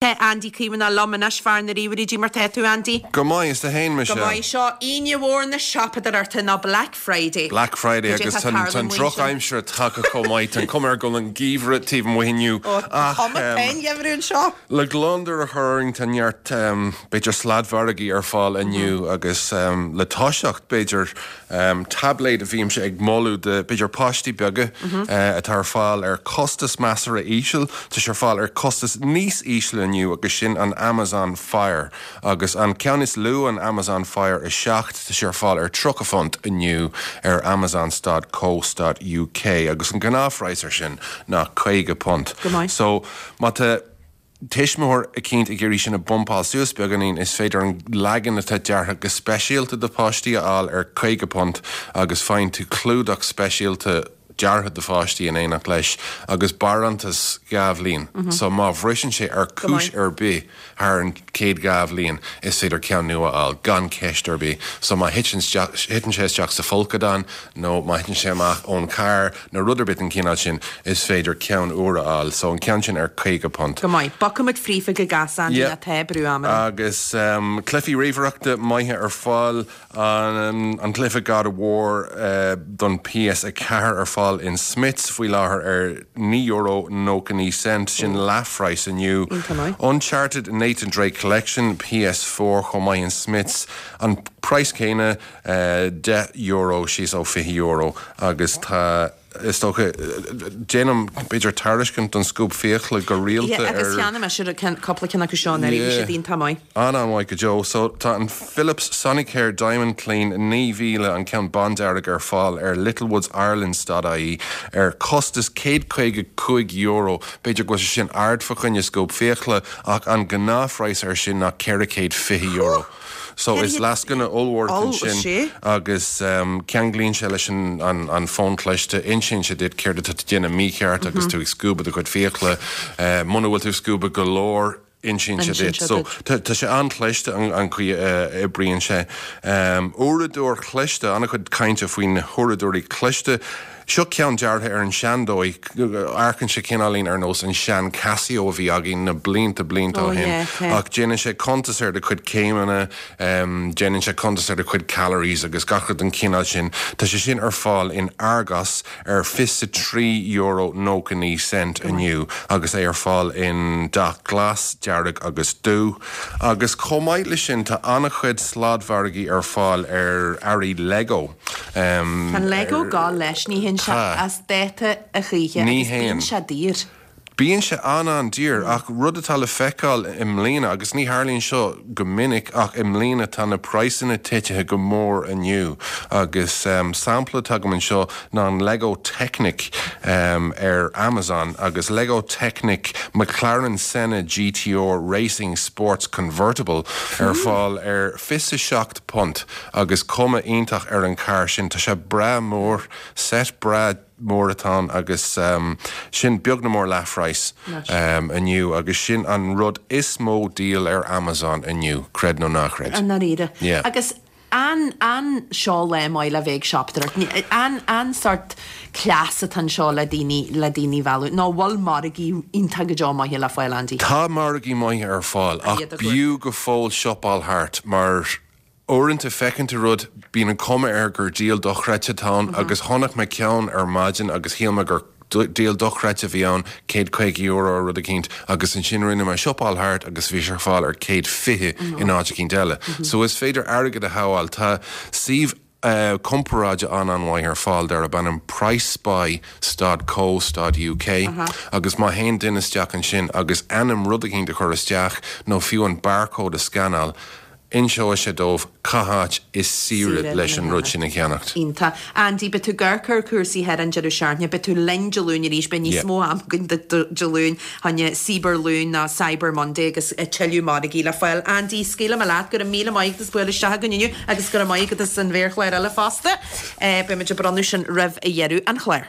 Tá Andy Caomhánach liom anois, fear na ríomhairí, Cad é mar tá tú, Andy? Go maith, is tú fhéin, Go Michelle? maith. Seo Aoine mhór na siopadóireachta nó Black Friday. Black Friday Cad é agus atá tá ag tarlú an amuigh ansin? drochaimsir tagtha chomh maith. Tá an cuma air go bhfuil an geimhreadh taobh amuigh inniu. Ó, tá Ach cuma tá an geimhreadh anseo. le gliondar a chur orainn tá neart b'fhéidir sladmhargaí ar fáil inniu agus le toiseacht b'fhéidir Táibléad a bhímse ag moladh do, b'fhéidir, páistí beaga atá ar fáil ar costas measartha íseal. Tá sé ar fáil ar costas níos ísle inniu agus sin an Amazon Fire. Agus an ceann is lú, an Amazon Fire 7, tá sé ar fáil ar £30 inniu ar Amazon stad co stad uk agus an gnáthphraghas ar sin ná £50. Go maith. So, má tá. tuismitheoir eicínt ag iarraidh sin a bhumpáil suas beagáinín, is féidir an leagan atá deartha go speisialta do pháistí a fháil ar £50 agus faigheann tú clúdach speisialta deartha do pháistí in éineacht leis agus barántas 2 bhliain. So má bhriseann sé ar chúis ar bith thar an chéad 2 bhliain is féidir ceann nua a fháil gan ceist ar bith. So má thiteann sé isteach sa folcadán nó má thiteann sé amach ón charr, nó rud ar bith den chineál sin, is féidir ceann úr a fháil. So an ceann sin ar £50. Go maith. Bogfaimid fríofa go gasta, Andy, Yeah. tá brú ama orainn. Agus cluichí ríomhaireachta maithe ar fáil. An cluiche God of War don PS4 ar fáil in Smyths faoi láthair ar €9.99, sin leathphraghas inniu. Iontach maith. Uncharted Nathan Drake Collection, PS4 chomh maith in Smyths, an praghas céanna. €10 síos ó €20 agus tá, is dócha, déanaim b'fhéidir tairiscint don scuab fiacla go rialta Yeah, ar. agus cheannaigh mise cúpla ceann acu seo anuraidh, bhí siad iontach maith. An-an-mhaith go deo. So tá an Philips Sonicare Diamond Clean 9000, an ceann bándearg ar fáil ar littlewoods.ireland.ie ar costas €155. B'fhéidir go bhfuil sé sin ard fa choinne scuab fiacla ach an gnáthphraghas air sin ná €420. So is lascaine ollmhór atá ansin agus ceanglaíonn sé leis an fón cliste, insíonn sé duit céard atá tú ag déanamh mícheart agus tú ag scuabadh do chuid fiacla. Muna bhfuil tú ag scuabadh go leor, insíonn sé duit. So tá sé an-chliste an chaoi a oibríonn sé. Uaireadóir chliste, an-chuid cainte faoi na huaireadóirí cliste. Seo ceann deartha ar an seandóigh, amharcann sé cineáilín ar nós an sean Casio a bhí againn na blianta blianta ó shin, ach déanann sé cuntas ar do chuid céimeanna, déanann sé cuntas ar do chuid calories agus gach rud den chineál sin. Tá sé sin ar fáil in Argos ar €23.99 inniu agus é ar fáil in dath glas, dearg agus dubh. Agus chomh maith leis sin tá an-chuid sladmhargaí ar fáil ar earraí Lego. Tá an Lego ag gabháil leis, ní théann sé as dáta a choíche Ní agus théann. bíonn sé daor. Bíonn sé an-an-daor ach rud atá le feiceáil i mbliana, agus ní tharlaíonn seo go minic ach i mbliana tá na praghsanna titithe go mór inniu agus sampla atá agam anseo ná an Lego Technic ar Amazon agus Lego Technic McLaren Senna GTR Racing Sports Convertible ar fáil ar £27. Agus cuma iontach ar an charr sin. Tá sé breá mór, set breá mór atá ann agus sin beag nó mór leathphraghas inniu agus sin an rud is mó díol ar Amazon inniu, creid nó ná creid. I ndáiríre. Yeah. Agus an, an seo lá maith le bheith ag siopadóireacht? An, an sort cleas atá anseo le daoine, le daoine a mhealladh? Nó bhfuil margaí iontach go deo maithe le fáil, Andy? Tá margaí maithe ar fáil ach b'fhiú go fóill siopáil thart mar Uaireanta feiceann tú rud, bíonn an cuma air gur díol dochreidte atá ann agus chonaic mé ceann ar maidin agus shíl mé gur díol dochreidte a bhí ann, €150 nó rud eicínt, agus ansin rinne mé siopáil thart agus bhí sé ar fáil ar 120 in áit eicínt eile. So is féidir airgead a shábháil. Tá suíomh comparáide an-an-mhaith ar fáil darb ainm PriceSpy stad co stad uk agus má théann duine isteach ansin agus ainm rud eicínt a chur isteach nó fiú an barcode a scanáil, Inseoidh sé dóibh cá háit is saoire leis an rud sin a cheannacht. Iontach. Andy, beidh tú ag amharc ar chúrsaí thar an deireadh seachtaine, beidh tú linn Dé Luain arís, beidh níos mó ama againn duit Dé Luain, choinne Cibear-Luan nó Cyber Monday agus tuilleadh margaí le fáil. Andy, scaoilfidh mé leat, go raibh míle maith agat as bualadh isteach againn inniu agus go raibh maith agat as an mhéarchlár eile fosta. Beidh muid ag bronnadh sin roimh dheireadh an chláir.